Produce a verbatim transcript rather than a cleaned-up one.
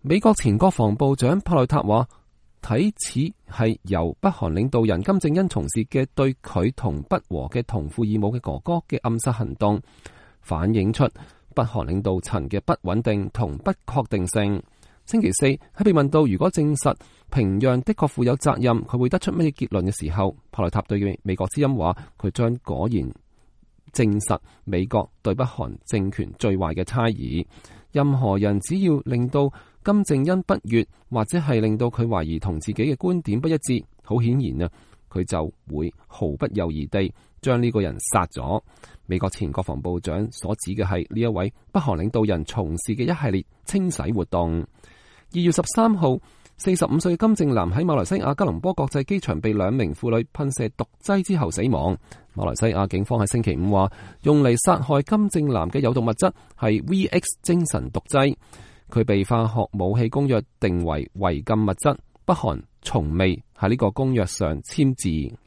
美國前國防部長帕內塔話，睇似係由北韓領導人金正恩從事嘅對佢同不和嘅同父異母嘅哥哥嘅暗殺行動，反映出北韓領導層嘅不穩定同不確定性。星期四喺被問到如果證實平壤的確負有責任，佢會得出乜嘢結論嘅時候，帕內塔對美國之音話，佢將果然證實美國對北韓政權最壞嘅猜疑。任何人只要令到金正恩不悅，或者係令到佢懷疑同自己嘅觀點不一致，好顯然啊，佢就會毫不猶豫地將呢個人殺咗。美國前國防部長所指嘅係呢一位北韓領導人從事嘅一系列清洗活動。二月十三號，四十五歲金正男喺馬來西亞吉隆坡國際機場被兩名婦女噴射毒劑之後死亡。馬來西亞警方喺星期五話，用嚟殺害金正男嘅有毒物質係 V X 精神毒劑，佢被化學武器公約定為違禁物質，北韓從未喺呢個公約上簽字。